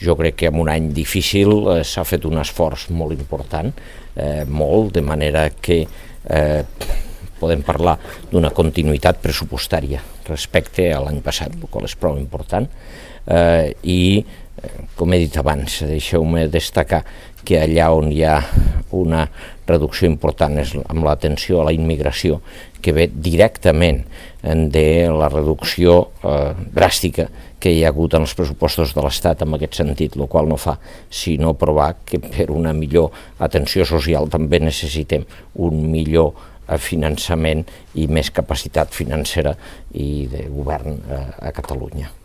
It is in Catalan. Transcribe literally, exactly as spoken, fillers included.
jo crec que en un any difícil eh, s'ha fet un esforç molt important, eh, molt, de manera que eh, podem parlar d'una continuïtat pressupostària respecte a l'any passat, el qual és prou important, eh, i, eh, com he dit abans, deixeu-me destacar que allà on hi ha una reducció important és amb l'atenció a la immigració, que ve directament de la reducció eh, dràstica que hi ha hagut en els pressupostos de l'Estat en aquest sentit, el qual no fa sinó provar que per una millor atenció social també necessitem un millor finançament i més capacitat financera i de govern a Catalunya.